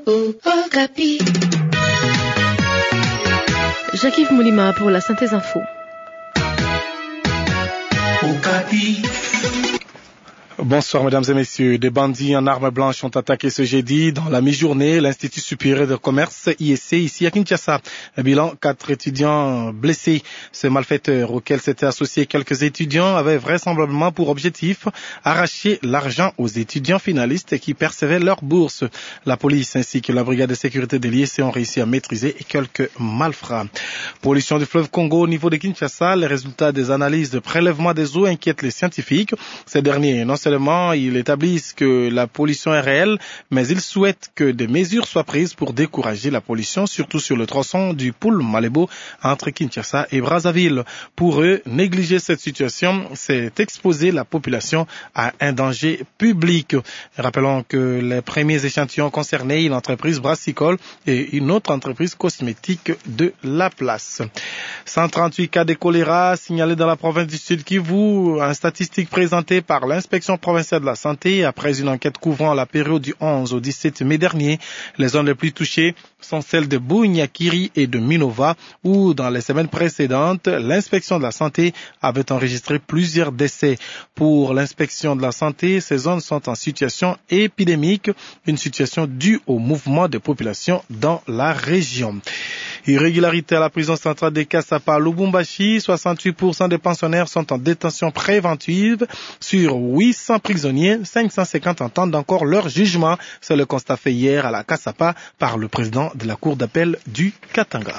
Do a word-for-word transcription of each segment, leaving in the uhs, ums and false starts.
Okapi. Jacques-Yves Moulima pour la synthèse info. Okapi. Bonsoir, mesdames et messieurs. Des bandits en armes blanches ont attaqué ce jeudi, dans la mi-journée, l'Institut supérieur de commerce, I S C, ici à Kinshasa. Un bilan, quatre étudiants blessés. Ces malfaiteurs, auxquels s'étaient associés quelques étudiants, avaient vraisemblablement pour objectif arracher l'argent aux étudiants finalistes qui percevaient leur bourse. La police ainsi que la brigade de sécurité de l'I S C ont réussi à maîtriser quelques malfrats. Pollution du fleuve Congo au niveau de Kinshasa, les résultats des analyses de prélèvement des eaux inquiètent les scientifiques. Ces derniers, non seulement ils établissent que la pollution est réelle, mais ils souhaitent que des mesures soient prises pour décourager la pollution, surtout sur le tronçon du Pool Malebo entre Kinshasa et Brazzaville. Pour eux, négliger cette situation, c'est exposer la population à un danger public. Rappelons que les premiers échantillons concernaient une entreprise brassicole et une autre entreprise cosmétique de la place. Cent trente-huit cas de choléra signalés dans la province du Sud-Kivu, une statistique présentée par l'inspection provinciale de la santé après une enquête couvrant la période du onze au dix-sept mai dernier. Les zones les plus touchées sont celles de Bunia, Kiri et de Minova, où dans les semaines précédentes, l'inspection de la santé avait enregistré plusieurs décès. Pour l'inspection de la santé, ces zones sont en situation épidémique, une situation due au mouvement des populations dans la région. Irrégularité à la prison centrale de Kasapa à Lubumbashi, soixante-huit pour cent des pensionnaires sont en détention préventive. Sur huit cents prisonniers, cinq cent cinquante attendent encore leur jugement. C'est le constat fait hier à la Kasapa par le président de la cour d'appel du Katanga.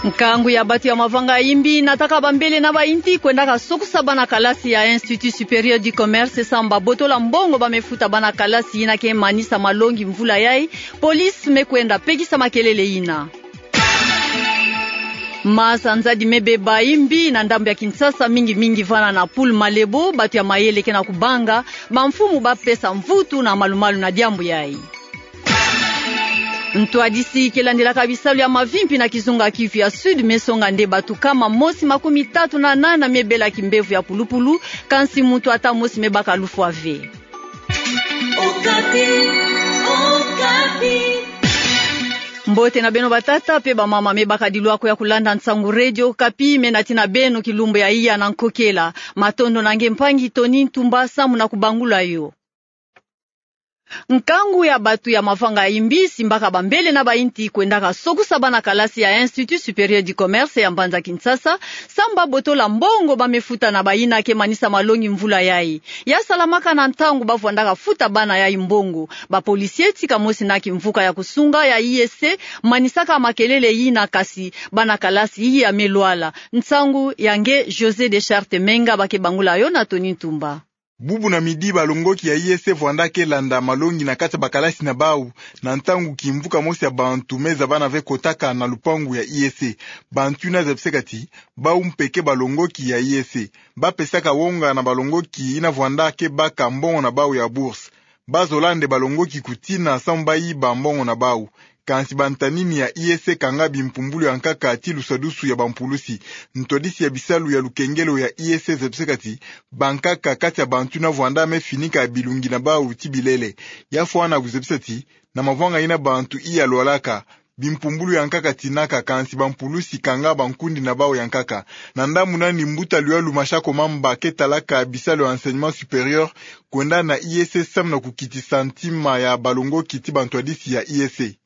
Nkangu ya bato ya mavanga ya imbi nataka bambele na bainti kwendaka sokusa bana kalasi ya Institut Supérieur du Commerce samu babotola mbongo ba me futa bana kalasi yina ke manisa malongi mvula yai. Police me kwenda pekisa makelele yina. Masanza di mebe ba imbi na ndambu ya Kinshasa, mingi mingi vana na Pool Malebo, bato ya mayele ke na kubanga bamfumu ba pesa mvutu na malumalu na diambu yai. Ntwadisi ke landilaka bisalu ya mavimpi na kizunga Kivu ya Sud me songa nde bato kama mosi makumi tatu na nana me bela kimbevo ya pulupulu, kansi mutu ata mosi me baka lufwa ve. Okapi, Okapi. Mbote na beno batata pe bamama me baka dilwako ya kulanda Nsangu Radio Okapi, me nati na beno kilumbu ya iya na nkokela. Matondo na nge mpangi Tony Ntumba samu na kubangula yo. Nkangu ya bato ya mavanga ya imbi simbaka bambele na bainti kwendaka sokusa bana kalasi ya Institut Supérieur du Commerce ya mbanza Kinshasa, samu babotola mbongo ba me futa na bayina ke manisa malongi mvula yai. Ya salamaka na ntangu ba vwandaka futa bana yai mbongo. Ba policiers tika mosi na kimvuka ya kusunga ya I S C manisaka makelele yina, kasi bana kalasi iya me lwala. Nsangu ya nge José Deschartes Menga ba ke bangula yo na Tony Ntumba. Bubu na midi balongoki ya I S C vwanda ke landa malongi na kati ya bakalasi na bau, na ntangu kimvuka mosi ya bantu me zabana ve kotaka na lupangu ya I S C. Bantu yina zabiseka ti bau mpe ke balongoki ya I S C. Ba pesaka wonga na balongoki yina vwanda ke baka mbongo na bau ya bourse. Ba zola nde balongoki kutina samu ba yiba mbongo na bau. Kansi bantanini ya I S C kanga bimpumbulu ya nkaka ti lusadusu ya bampulusi. Ntwadisi ya bisalu ya lukengelo ya I S C zabiseka ti bankaka kati ya bantu yina vwanda me finika bilungi na bau ti bilele. Ya fwana kuzabisa ti na mavwanga yina bantu iya lwalaka, bimpumbulu ya nkaka tinaka, kansi bampulusi kanga bankundi na bau ya nkaka. Na ndambu nani mbuta Luyalu Mashako Mamba ke talaka bisalu ya enseignement supérieur kwenda na I S C samu na kukitisa ntima ya balongoki ti bantwadisi ya I S C.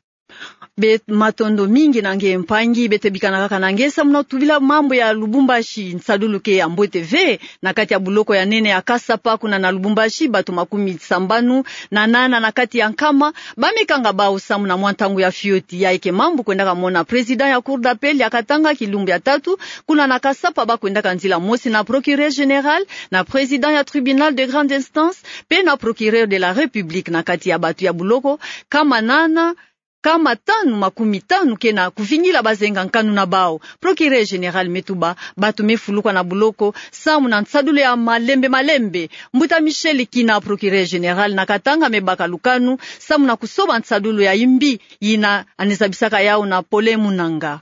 Be matondo mingi na nge mpangi, beto bikana kaka na nge samu na tubila mambu ya Lubumbashi. Nsadulu ke ya mbote ve na kati ya buloko ya nene ya Kasapa kuna na Lubumbashi, bato makumi sambanu na nana na kati ya nkama ba me kanga bau samu na mwa ntangu ya fioti. Yayi ke mambu kwendaka mona président ya Cour d'appel ya Katanga kilumbu ya tatu kuna na Kasapa, ba kwendaka nzila mosi na procureur général, na président ya tribunal de grande instance, pe na procureur de la République. Na kati ya bato ya buloko kama nana, kama tanu makumi tanu ke na kuvingila bazenga nkanu na bau. Procureur général me tuba bato me fulukwa na buloko samu na nsadulu ya malembe malembe. Mbuta Michel Kina, procureur général na Katanga, me baka lukanu samu na kusoba nsadulu ya imbi yina anezabisaka yau na Pole Munanga.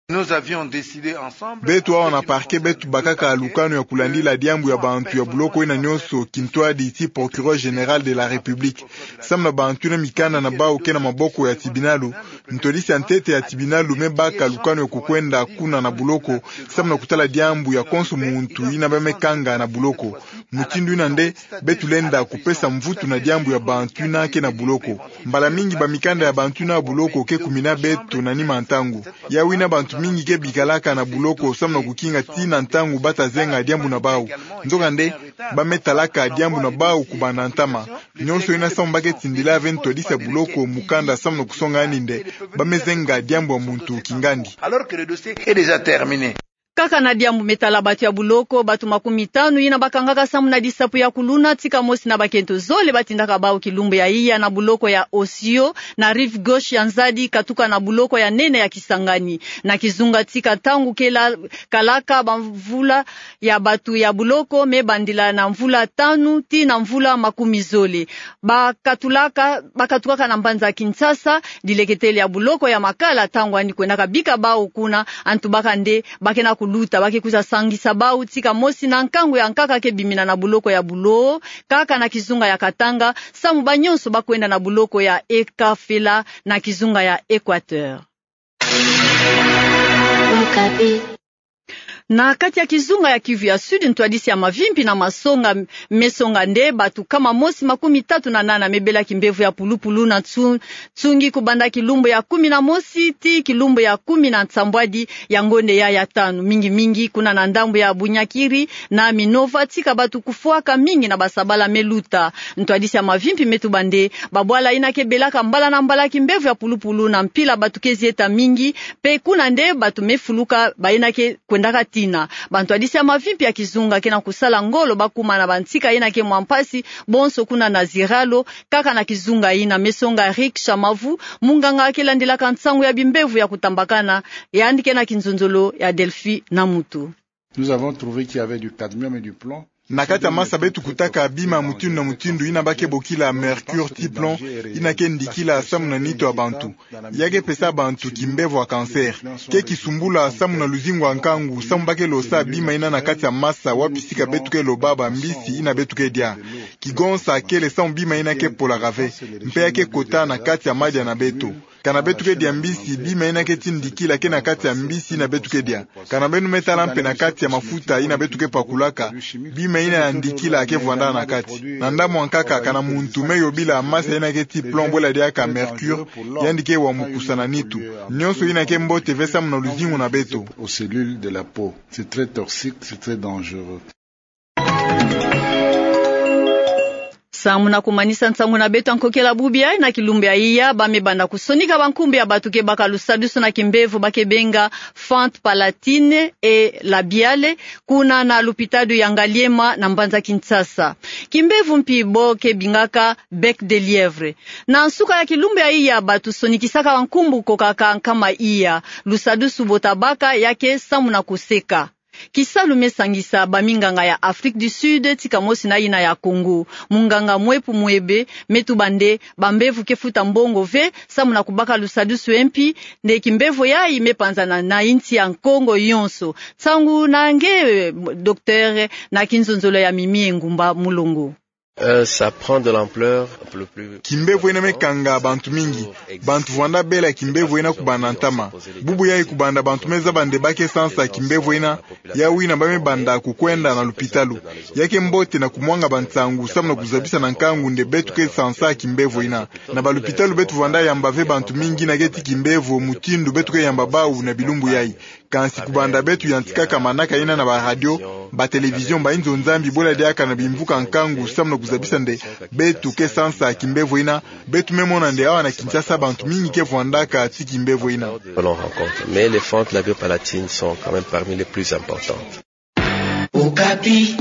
Nous avions décidé ensemble. Beto awa na parquet beto bakaka lukanu ya kulandila diambu ya bantu ya buloko ina nyonso, kintwadi ti Procureur Général de la République. Samu na bantu ina mikanda na bau ke na maboko ya tibinalu, ntwadisi ya ntete ya tibinalu me baka lukanu ya kukwenda kuna na buloko, samu na kutala diambu ya konso muntu ina ba me kanga na buloko. Mutindu ina nde, beto lenda kupesa mvutu na diambu ya bantu ina ke na buloko. Mbala mingi bamikanda ya bantu ina buloko ke kumina beto na nima ntangu. Yawu ina bantu mingi ke bikalaka na buloko samu na kukinga tina ntangu bata zenga diambu na bau. Nzokande, ba me talaka diambu na bau kubanda ntama. Nyonso ina samu ba ke tindila ve ntwadisi ya buloko mukanda samu na kusonga yandi nde ba me zenga diambu ya muntu kingandi. Alors que le dossier est déjà terminé. Kaka na diambu me tala batu ya buloko, batu makumi tanu ina ba kangaka samu na disapu ya kuluna, tika mosi na bakento zole ba tindaka bau kilumbu ya iya na buloko ya Osio, na rive gauche ya Nzadi, katuka na buloko ya nene ya Kisangani. Na kizunga tika ntangu kela, kalaka bamvula ya batu ya buloko me bandila na mvula tanu tii na mvula makumi zole. Ba katulaka, ba katukaka na mbanza Kinshasa, dileketele ya buloko ya Makala, ntangu yandi kwendaka bika bau kuna, antu baka nde ba ke na kuluta, ba ke kwiza sangisa bau tika mosi na nkangu ya nkaka ke bimina na buloko ya Buloho, kaka na kizunga ya Katanga, samu banyonso ba kwenda na buloko ya Ekafela na kizunga ya Equateur. Na kati ya kizunga ya Kivu ya Sud, ntwadisi ya mavimpi na masonga me songa nde batu nkama mosi makumi tatu na nana me bela kimbevo ya pulupulu na nsu-, nsungi kubanda kilumbu ya kumi na mosi tii kilumbu ya kumi na nsambwadi ya ngonde ya ya tanu, mingi mingi kuna na ndambu ya Bunyakiri na Minova, tika batu kufwaka mingi na basabala me luta. Ntwadisi ya mavimpi me tuba nde babwala ina ke belaka mbala na mbala kimbevo ya pulupulu na mpila batu ke zieta mingi, mpe kuna nde batu me fuluka ba ina ke kwendaka tina. Bantwadisi ya mavimpi ya kizunga ke na kusala ngolo ba kuma na bantika ina ke mwa mpasi, bonso kuna na Ziralo, kaka na kizunga ina. Me songa Rick Shamavu, munganga ke landilaka nsangu ya bimbevo ya kutambakana, yandi ke na kinzonzolo ya Delphi Namutu. Nous avons trouvé qu'il y avait du cadmium et du plomb. Na kati ya masa beto kutaka bima mutindu na mutindu ina ba ke bokila mercure tii plomb, ina ke ndikila samu na nitu ya bantu. Ya ke pesa bantu kimbevo ya cancer. Ke kisumbula samu na luzingu ya nkangu, samu ba ke losa bima ina na kati ya masa wapi sika beto ke loba bambisi ina beto ke dia. Kigonsa kele samu bima ina ke polaka ve. Mpe ya ke kota na kati ya madia na beto. Kana beto ke dia mbisi, bima ina ke tindikila ke na kati ya mbisi ina beto ke dia. Kana beno me tala mpe na kati ya mafuta ina beto ke pakulaka, bima ina ya ndikila ke vwanda na kati. Na ndambu ya nkaka, kana muntu me yobila masa ina ke tii plomb bwela diaka mercure, yandi ke wa mukusa na nitu. Nyonso ina ke mbote ve samu na luzingu na beto. Aux cellules de la peau. C'est très toxique, c'est très dangereux. Samu na kumanisa nsangu na beto ya nkokela bubu ya, na kilumbu ya iya, ba me banda kusonika bankumbu ya batu ke baka lusadusu na kimbevo ba ke benga fente palatine et labiale, kuna na lupitalu ya Ngaliema na mbanza Kinshasa. Kimbevo mpi bo ke bingaka bec de lièvre. Na nsuka ya kilumbu ya iya, batu sonikisaka bankumbu kokaka nkama iya. Lusadusu bo tabaka ya ke samu na kuseka. Kisalu me sangisa baminganga ya Afrique du Sud, tika mosi na ina ya Congo. Munganga Mwepu Mwebe me tuba nde bambevo ke futa mbongo ve samu na kubaka lusadusu ya mpi, nde kimbevo yayi me panzana na insi ya Kongo yonso. Nsangu na nge, eh, docteur, na kinzonzolo ya Mimi Engumba Mulongo. Euh, ça prend de l'ampleur. Kimbevo ina me kanga bantu mingi. Bantu vwanda bela kimbevo ina kubanda ntama. Bubu yayi kubanda bantu me zaba nde ba ke sansa kimbevo ina, yawu ina ba me banda kukwenda na lupitalu. Ya ke mbote na kumwanga bansangu samu na kuzabisa na nkangu nde beto ke sansa kimbevo ina. Na balupitalu beto vwanda yamba ve bantu mingi ina ke tii kimbevo mutindu beto ke yamba bau na bilumbu yayi. Kansi kubanda beto yantikaka manaka ina na baradio, batelevizion, bayinzo Nzambi, bwela diaka na bimvuka nkangu samu na kuzabisa nde beto ke sansa kimbevo ina, beto me mona nde awa na Kinshasa bantu mingi ke vwandaka tii kimbevo ina. L'on rencontre. Mais les fentes labiopalatines sont quand même parmi les plus importantes. Okapi.